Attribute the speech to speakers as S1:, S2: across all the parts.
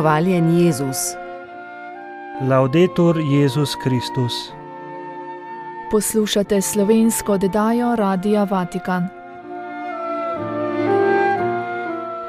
S1: Hvaljen Jezus.
S2: Laudetur Jezus Kristus.
S3: Poslušate slovensko oddajo Radia Vatikan.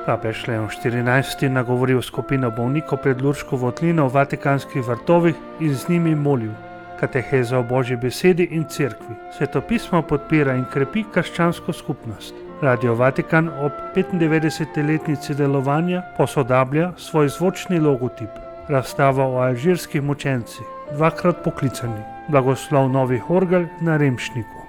S2: Papež Leon XIV. Nagovoril skupino bolnikov pred Lurško votlino v Vatikanskih vrtovih in z njimi molil. Kateheza o Božji besedi in cerkvi. Svetopismo podpira in krepi krščansko skupnost. Radio Vatikan ob 95-letnici delovanja posodablja svoj zvočni logotip. Razstava o alžirskih mučencih, dvakrat poklicani. Blagoslov novih orgel na Remšniku.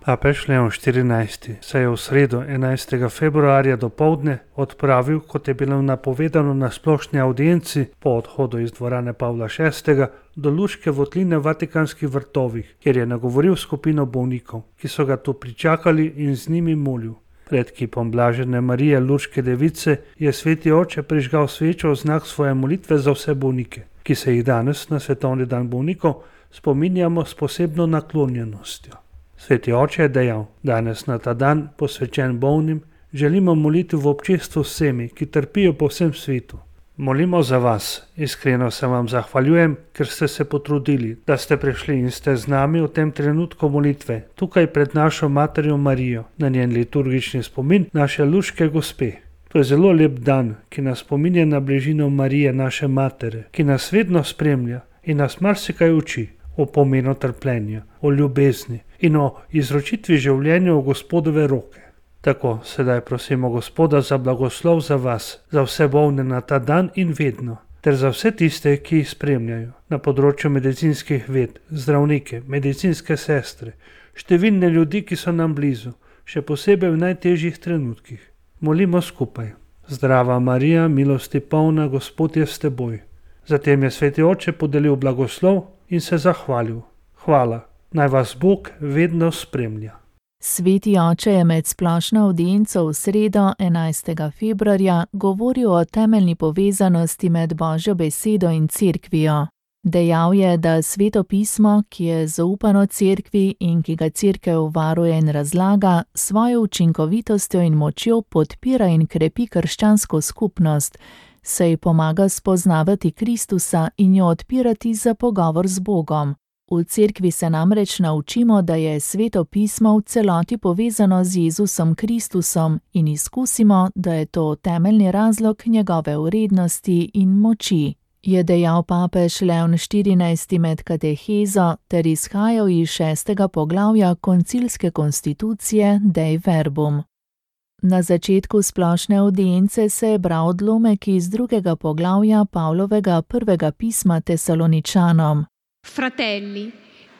S2: Papež Leon XIV. Se je v sredo 11. februarja dopoldne odpravil, kot je bilo napovedano na splošni audienci po odhodu iz dvorane Pavla VI. Do Lurške votline v Vatikanskih vrtovih, kjer je nagovoril skupino bolnikov, ki so ga tu pričakali in z njimi molil. Pred kipom blažene Marije Lurške device je sveti oče prižgal svečo v znak svoje molitve za vse bolnike, ki se jih danes na svetovni dan bolnikov spominjamo s posebno naklonjenostjo. Sveti oče je dejal: danes na ta dan, posvečen bolnim, želimo moliti v občestvu s vsemi, ki trpijo po vsem svetu. Molimo za vas, iskreno se vam zahvaljujem, ker ste se potrudili, da ste prišli in ste z nami v tem trenutku molitve, tukaj pred našo materjo Marijo, na njen liturgični spomin naše Lurške gospe. To je zelo lep dan, ki nas spominja na bližino Marije, naše matere, ki nas vedno spremlja in nas marsikaj uči o pomenu trpljenja, o ljubezni in o izročitvi življenja v Gospodove roke. Tako sedaj prosimo Gospoda za blagoslov za vas, za vse bolne na ta dan in vedno, ter za vse tiste, ki jih spremljajo na področju medicinskih ved, zdravnike, medicinske sestre, številne ljudi, ki so nam blizu, še posebej v najtežjih trenutkih. Molimo skupaj. Zdrava Marija, milosti polna, Gospod je s teboj. Zatem je sveti oče podelil blagoslov in se zahvalil. Hvala, naj vas Bog vedno spremlja.
S3: Sveti oče je med splošno audienco v sredo 11. februarja govoril o temeljni povezanosti med Božjo besedo in cerkvijo. Dejal je, da Sveto pismo, ki je zaupano cerkvi in ki ga cerkev varuje in razlaga, svojo učinkovitostjo in močjo podpira in krepi krščansko skupnost, saj pomaga spoznavati Kristusa in jo odpirati za pogovor z Bogom. V cerkvi se namreč naučimo, da je Sveto pismo v celoti povezano z Jezusom Kristusom in izkusimo, da je to temeljni razlog njegove vrednosti in moči, je dejal papež Leon XIV. Med katehezo ter izhajal iz 6. poglavja koncilske konstitucije Dei Verbum. Na začetku splošne audience se je bral odlomek iz 2. poglavja Pavlovega prvega pisma Tesaloničanom.
S4: Fratelli,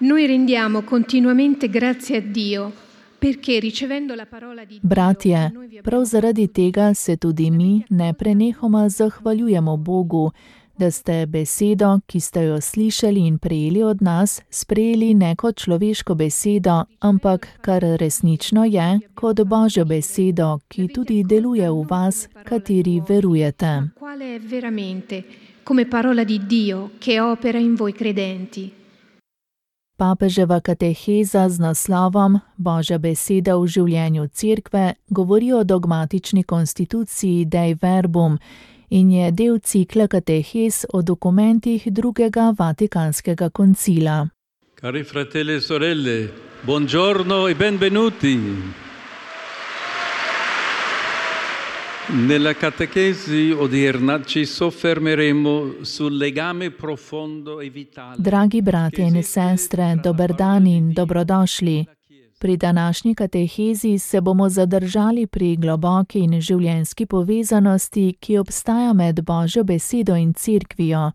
S4: noi rendiamo continuamente grazie a Dio, perché ricevendo la parola di Dio...
S3: Bratje, prav zaradi tega se tudi mi neprenehoma zahvaljujemo Bogu, da ste besedo, ki ste jo slišali in prejeli od nas, sprejeli ne kot človeško besedo, ampak kar resnično je, kot Božjo besedo, ki tudi deluje v vas, kateri verujete.
S4: Quale è veramente, come parola di Dio, che opera in voi credenti.
S3: Papeževa kateheza z naslovom Božja beseda v življenju cerkve govori o dogmatični konstituciji Dei Verbum in je del cikla katehez o dokumentih drugega Vatikanskega koncila.
S5: Cari fratelli e sorelle, buongiorno e benvenuti. Nella catechesi odierna ci soffermeremo sul legame profondo e vitale.
S3: Dragi bratje in sestre, dober dan in dobrodošli. Pri današnji katehezi se bomo zadržali pri globoki in življenjski povezanosti, ki obstaja med Božjo besedo in cerkvijo,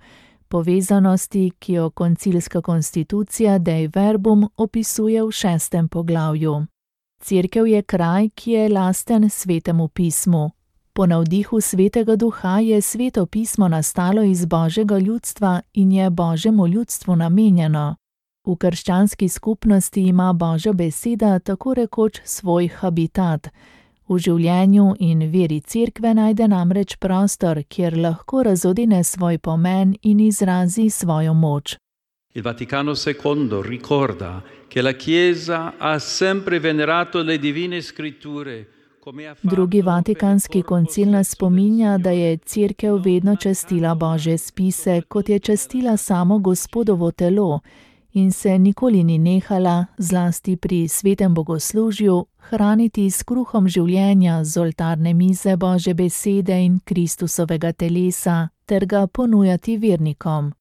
S3: povezanosti, ki jo koncilska konstitucija Dei Verbum opisuje v 6. poglavju. Cerkev je kraj, ki je lasten Svetemu pismu. Po navdihu Svetega Duha je Sveto pismo nastalo iz Božjega ljudstva in je Božjemu ljudstvu namenjeno. V krščanski skupnosti ima Božja beseda tako rekoč svoj habitat. V življenju in veri cerkve najde namreč prostor, kjer lahko razodene svoj pomen in izrazi svojo moč.
S5: Il Vaticano II ricorda che la Chiesa ha sempre venerato le divine scritture
S3: Drugi vatikanski koncil nas spominja, da je Cerkev vedno častila Božje spise, kot je častila samo Gospodovo telo, in se nikoli ni nehala, zlasti pri svetem bogoslužju, hraniti s kruhom življenja z oltarne mize Božje besede in Kristusovega telesa, ter ga ponujati vernikom.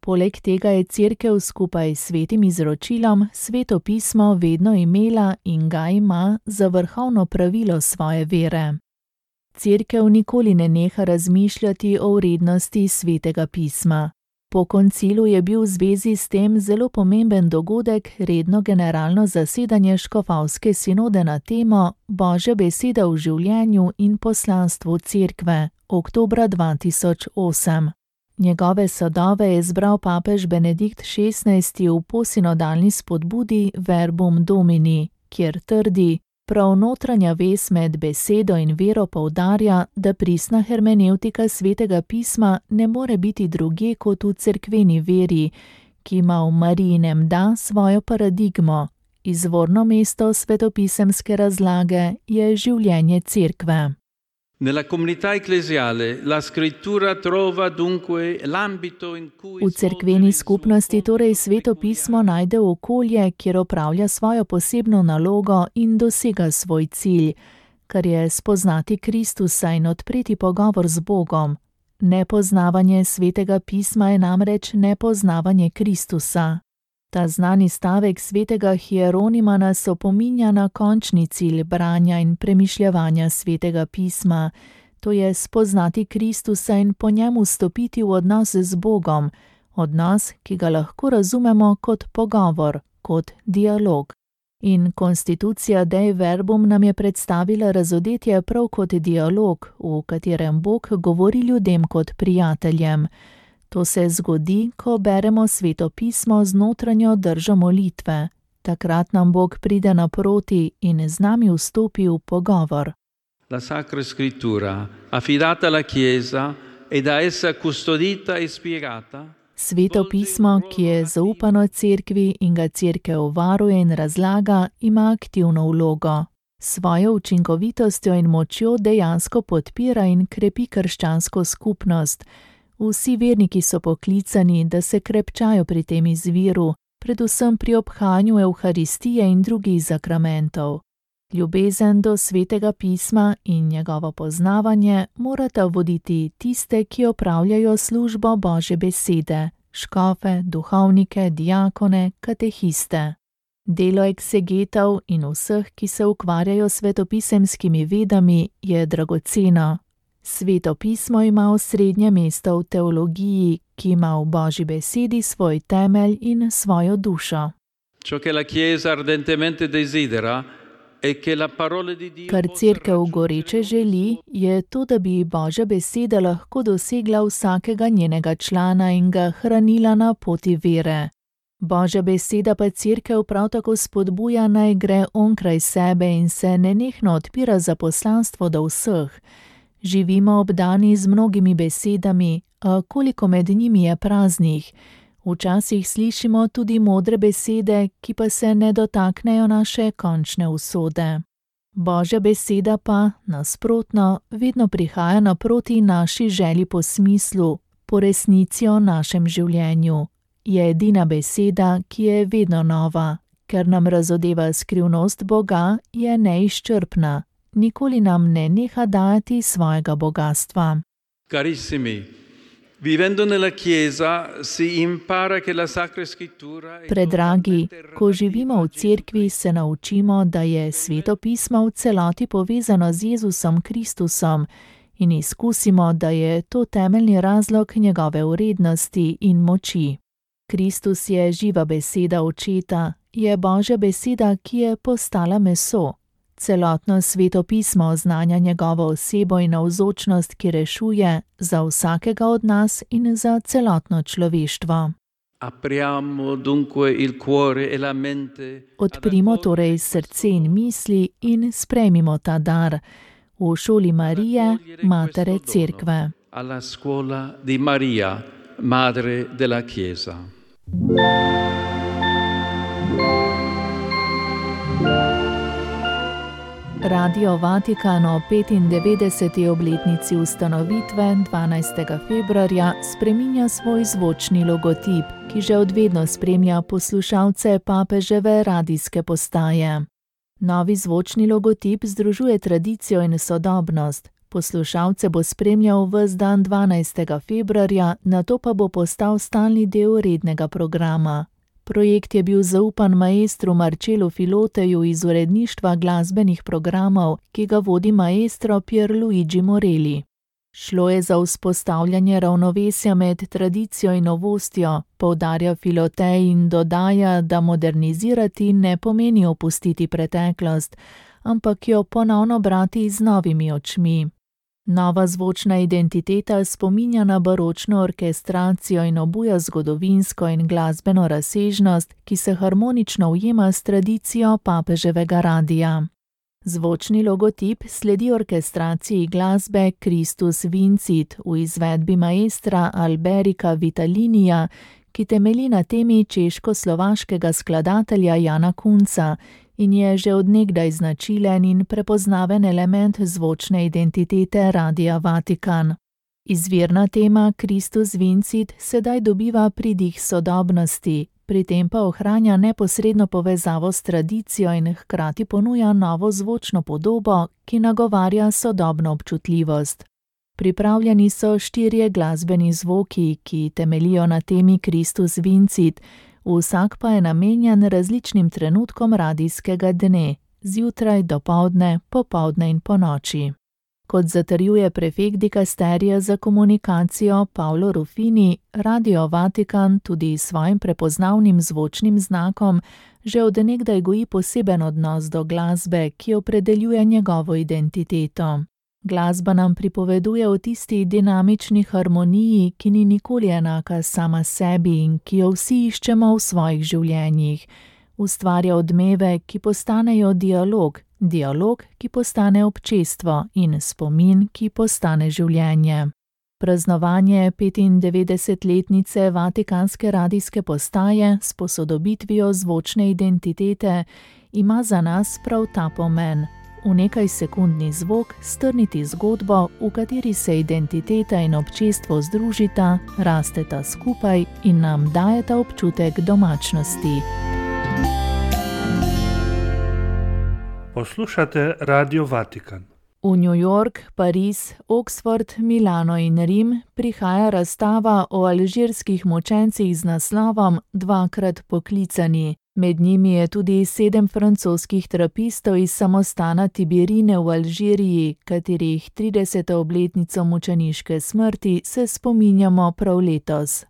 S3: Poleg tega je Cerkev skupaj s svetim izročilom Sveto pismo vedno imela in ga ima za vrhovno pravilo svoje vere. Cerkev nikoli ne neha razmišljati o vrednosti Svetega pisma. Po koncilu je bil v zvezi s tem zelo pomemben dogodek redno generalno zasedanje škofovske sinode na temo Božja beseda v življenju in poslanstvu Cerkve, oktobra 2008. Njegove sadove je zbral papež Benedikt XVI v posinodalni spodbudi Verbum Domini, kjer trdi: prav notranja vez med besedo in vero poudarja, da pristna hermenevtika Svetega pisma ne more biti drugje kot v cerkveni veri, ki ima v Marijinem da svojo paradigmo. Izvorno mesto svetopisemske razlage je življenje Cerkve.
S5: Nella comunità ecclesiale la scrittura trova dunque l'ambito in cui
S3: V cerkveni skupnosti torej Sveto pismo najde okolje, kjer opravlja svojo posebno nalogo in dosega svoj cilj, kar je spoznati Kristusa in odpreti pogovor z Bogom. Nepoznavanje Svetega pisma je namreč nepoznavanje Kristusa. Ta znani stavek svetega Hieronima nas opominja na končni cilj branja in premišljevanja Svetega pisma, to je spoznati Kristusa in po njemu stopiti v odnos z Bogom, odnos, ki ga lahko razumemo kot pogovor, kot dialog. In konstitucija Dei Verbum nam je predstavila razodetje prav kot dialog, v katerem Bog govori ljudem kot prijateljem. To se zgodi, ko beremo Sveto pismo z notranjo držo molitve. Takrat nam Bog pride naproti in z nami vstopi v pogovor.
S5: La Sacra Scrittura, affidata alla Chiesa e da essa custodita e spiegata.
S3: Sveto pismo, ki je zaupano Cerkvi in ga Cerkev varuje in razlaga, ima aktivno vlogo. Svojo učinkovitostjo in močjo dejansko podpira in krepi krščansko skupnost. Vsi verniki so poklicani, da se krepčajo pri tem izviru, predvsem pri obhajanju Evharistije in drugih zakramentov. Ljubezen do Svetega pisma in njegovo poznavanje morata voditi tiste, ki opravljajo službo Božje besede, škofe, duhovnike, diakone, katehiste. Delo eksegetov in vseh, ki se ukvarjajo s svetopisemskimi vedami, je dragoceno. Sveto pismo ima osrednje mesto v teologiji, ki ima v Božji besedi svoj temelj in svojo dušo. Kar Cerkev goreče želi, je to, da bi Božja beseda lahko dosegla vsakega njenega člana in ga hranila na poti vere. Božja beseda pa Cerkev prav tako spodbuja, naj gre onkraj sebe in se nenehno odpira za poslanstvo do vseh. Živimo obdani z mnogimi besedami, a koliko med njimi je praznih. Včasih slišimo tudi modre besede, ki pa se ne dotaknejo naše končne usode. Božja beseda pa, nasprotno, vedno prihaja naproti naši želji po smislu, po resnici o našem življenju. Je edina beseda, ki je vedno nova, ker nam razodeva skrivnost Boga, je neizčrpna. Nikoli nam ne neha dajati svojega bogastva.
S5: Carissimi, vivendo nella Chiesa si impara che la Sacra Scrittura è
S3: Predragi, ko živimo v Cerkvi, se naučimo, da je Sveto pismo v celoti povezano z Jezusom Kristusom in izkusimo, da je to temeljni razlog njegove vrednosti in moči. Kristus je živa beseda Očeta, je Božja beseda, ki je postala meso. Celotno Sveto pismo oznanja njegovo osebo in navzočnost, ki rešuje za vsakega od nas in za celotno človeštvo. Odprimo torej srce in misli in sprejmimo ta dar v šoli Marije, Matere Cerkve.
S5: Alla scuola di Maria, Madre della Chiesa.
S3: Radio Vatikan o 95. obletnici ustanovitve 12. februarja spreminja svoj zvočni logotip, ki že od vedno spremlja poslušalce papeževe radijske postaje. Novi zvočni logotip združuje tradicijo in sodobnost. Poslušalce bo spremljal ves dan 12. februarja, nato pa bo postal stalni del rednega programa. Projekt je bil zaupan maestru Marcellu Filoteju iz uredništva glasbenih programov, ki ga vodi maestro Pierluigi Morelli. Šlo je za vzpostavljanje ravnovesja med tradicijo in novostjo, poudarja Filotej in dodaja, da modernizirati ne pomeni opustiti preteklost, ampak jo ponovno brati z novimi očmi. Nova zvočna identiteta spominja na baročno orkestracijo in obuja zgodovinsko in glasbeno razsežnost, ki se harmonično ujema s tradicijo papeževega radija. Zvočni logotip sledi orkestraciji glasbe Christus Vincit v izvedbi maestra Alberika Vitalinija, ki temelji na temi češko-slovaškega skladatelja Jana Kunca in je že od nekdaj značilen in prepoznaven element zvočne identitete Radia Vatikan. Izvirna tema Christus Vincit sedaj dobiva pridih sodobnosti, pri tem pa ohranja neposredno povezavo s tradicijo in hkrati ponuja novo zvočno podobo, ki nagovarja sodobno občutljivost. Pripravljeni so 4 glasbeni zvoki, ki temeljijo na temi Christus Vincit, vsak pa je namenjen različnim trenutkom radijskega dne, zjutraj, dopoldne, popoldne in ponoči. Kot zatrjuje prefekt dikasterija za komunikacijo Paolo Ruffini, Radio Vatikan tudi s svojim prepoznavnim zvočnim znakom že od nekdaj goji poseben odnos do glasbe, ki opredeljuje njegovo identiteto. Glasba nam pripoveduje o tisti dinamični harmoniji, ki ni nikoli enaka sama sebi in ki jo vsi iščemo v svojih življenjih. Ustvarja odmeve, ki postanejo dialog, dialog, ki postane občestvo in spomin, ki postane življenje. Praznovanje 95-letnice Vatikanske radijske postaje s posodobitvijo zvočne identitete ima za nas prav ta pomen. V nekaj sekundni zvok strniti zgodbo, v kateri se identiteta in občestvo združita, rasteta skupaj in nam dajeta občutek domačnosti.
S2: Poslušate Radio Vatikan.
S3: V New York, Pariz, Oxford, Milano in Rim prihaja razstava o alžirskih mučencih z naslovom Dvakrat poklicani. Med njimi je tudi 7 francoskih trapistov iz samostana Tibirine v Alžiriji, katerih 30. obletnico mučeniške smrti se spominjamo prav letos.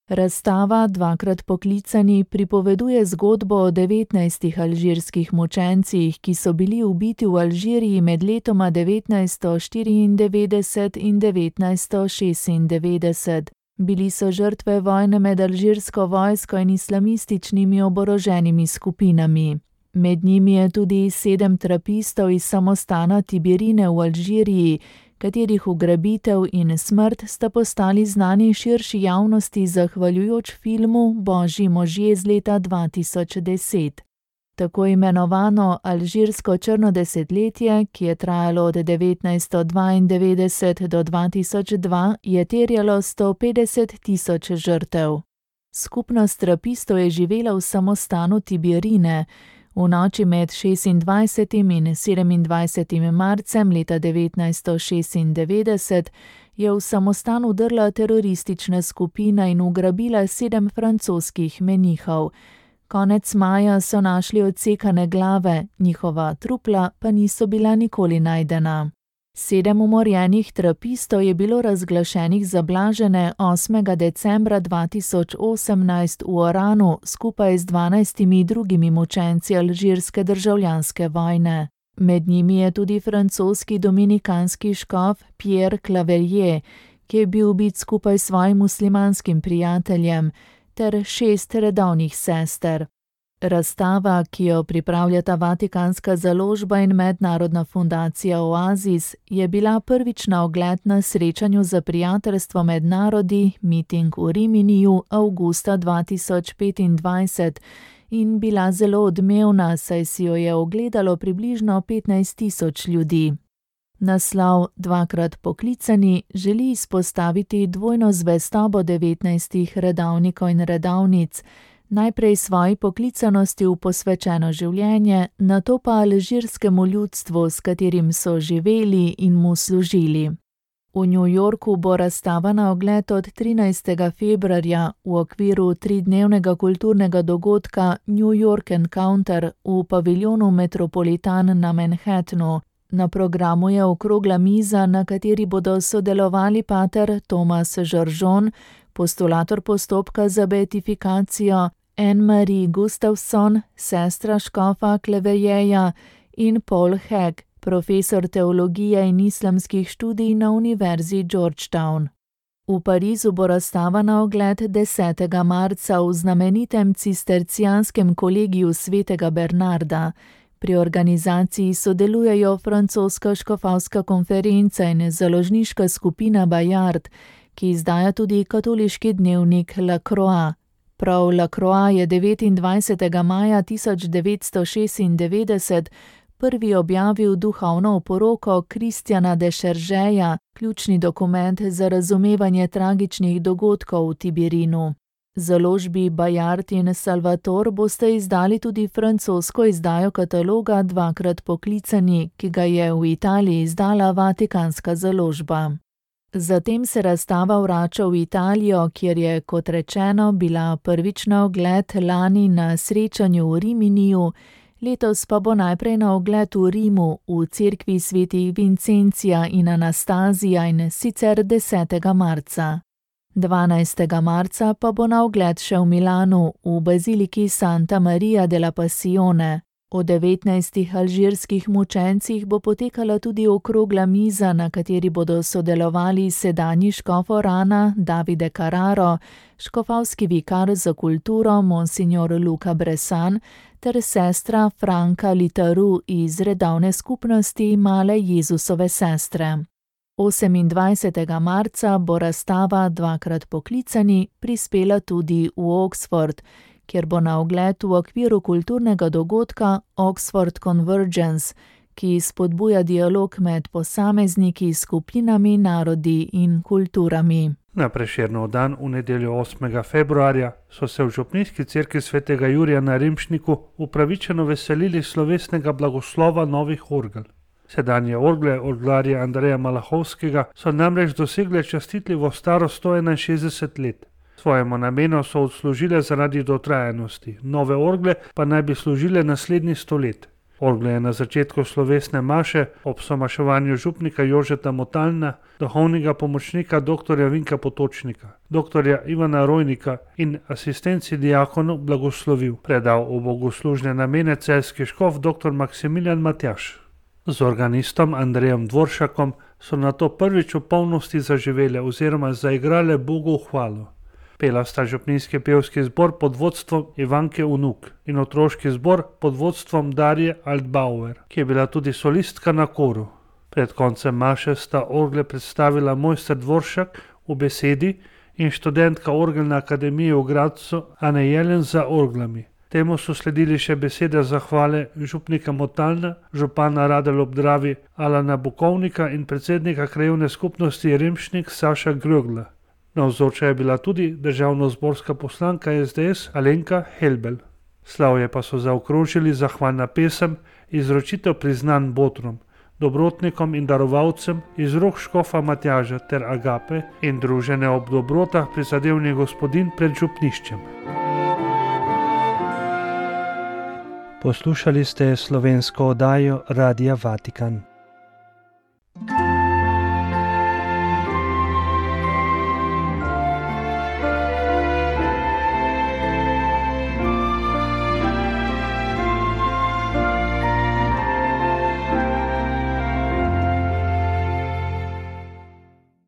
S3: Razstava Dvakrat poklicani pripoveduje zgodbo o 19 alžirskih mučencih, ki so bili ubiti v Alžiriji med letoma 1994 in 1996. Bili so žrtve vojne med alžirsko vojsko in islamističnimi oboroženimi skupinami. Med njimi je tudi 7 trapistov iz samostana Tibirine v Alžiriji, katerih ugrabitev in smrt sta postali znani širši javnosti zahvaljujoč filmu Božji možje z leta 2010. Tako imenovano alžirsko črno desetletje, ki je trajalo od 1992 do 2002, je terjalo 150.000 žrtev. Skupnost trapistov je živela v samostanu Tibirine. V noči med 26. in 27. marcem leta 1996 je v samostan vdrla teroristična skupina in ugrabila 7 francoskih menihov. Konec maja so našli odsekane glave, njihova trupla pa niso bila nikoli najdena. 7 umorjenih trapistov je bilo razglašenih za blažene 8. decembra 2018 v Oranu skupaj z 12 drugimi mučenci alžirske državljanske vojne. Med njimi je tudi francoski dominikanski škof Pierre Clavellier, ki je bil ubit skupaj s svojim muslimanskim prijateljem, ter 6 redovnih sester. Razstava, ki jo pripravljata Vatikanska založba in mednarodna fundacija Oasis, je bila prvič na ogled na srečanju za prijateljstvo med narodi, miting v Riminiju avgusta 2025 in bila zelo odmevna, saj si jo je ogledalo približno 15.000 ljudi. Naslov Dvakrat poklicani želi izpostaviti dvojno zvestobo 19 redavnikov in redavnic, najprej svoji poklicanosti v posvečeno življenje, nato pa alžirskemu ljudstvu, s katerim so živeli in mu služili. V New Yorku bo razstava na ogled od 13. februarja v okviru 3-dnevnega kulturnega dogodka New York Encounter v paviljonu Metropolitan na Manhattanu. Na programu je okrogla miza, na kateri bodo sodelovali pater Thomas Žoržon, postulator postopka za beatifikacijo, Anne-Marie Gustafson, sestra škofa Klevejeja in Paul Hegg, profesor teologije in islamskih študij na Univerzi Georgetown. V Parizu bo razstava na ogled 10. marca v znamenitem cistercijanskem kolegiju svetega Bernarda. Pri organizaciji sodelujejo francoska škofovska konferenca in založniška skupina Bayard, ki izdaja tudi katoliški dnevnik La Croix. Prav La Croix je 29. maja 1996 prvi objavil duhovno oporoko Kristjana de Šeržeja, ključni dokument za razumevanje tragičnih dogodkov v Tibirinu. Založbi Bayard in Salvator boste izdali tudi francosko izdajo kataloga Dvakrat poklicani, ki ga je v Italiji izdala Vatikanska založba. Zatem se razstava vrača v Italijo, kjer je, kot rečeno, bila prvič na ogled lani na srečanju v Riminiju, letos pa bo najprej na ogled v Rimu, v cerkvi svetih Vincencija in Anastazija in sicer 10. marca. 12. marca pa bo na ogled še v Milanu, v baziliki Santa Maria della Passione. O 19 alžirskih mučencih bo potekala tudi okrogla miza, na kateri bodo sodelovali sedanji škof Orana Davide Carraro, škofovski vikar za kulturo Monsignor Luca Bressan ter sestra Franca Litaru iz redovne skupnosti Male Jezusove sestre. 28. marca bo razstava Dvakrat poklicani prispela tudi v Oxford, kjer bo na ogled v okviru kulturnega dogodka Oxford Convergence, ki spodbuja dialog med posamezniki, skupinami, narodi in kulturami.
S2: Na Prešernov dan v nedeljo 8. februarja so se v župnijski cerkvi svetega Jurija na Rimšniku upravičeno veselili slovesnega blagoslova novih orgel. Sedanje orgle orglarja Andreja Malahovskega so namreč dosegle častitljivo starost 161 let. Svojemu namenu so odslužile zaradi dotrajanosti, nove orgle pa naj bi služile naslednji 100 let. Orgle je na začetku slovesne maše ob somaševanju župnika Jožeta Motalna, duhovnega pomočnika dr. Vinka Potočnika, dr. Ivana Rojnika in asistenci diakonov blagoslovil, predal v bogoslužne namene celjski škof dr. Maksimilijan Matjaž. Z organistom Andrejem Dvoršakom so nato prvič v polnosti zaživele oziroma zaigrale Bogu v hvalo. Pela sta župnijski pevski zbor pod vodstvom Ivanke Unuk in otroški zbor pod vodstvom Darje Altbauer, ki je bila tudi solistka na koru. Pred koncem maše sta orgle predstavila mojster Dvoršak v besedi in študentka Orgelne akademije v Gradcu Ane Jelen za orglami. Temu so sledili še besede zahvale župnika Motalna, župana Radelj ob Dravi Alana Bukovnika in predsednika krajevne skupnosti Rimšnik Saša Grögla. Navzoča je bila tudi državnozborska poslanka SDS Alenka Helbel. Slavje pa so zaokrožili zahvalna pesem, izročitev priznanj botrom, dobrotnikom in darovalcem iz rok škofa Matjaža ter Agape in družene ob dobrotah prizadevnih gospodin pred župniščem. Poslušali ste slovensko oddajo Radia Vatikan.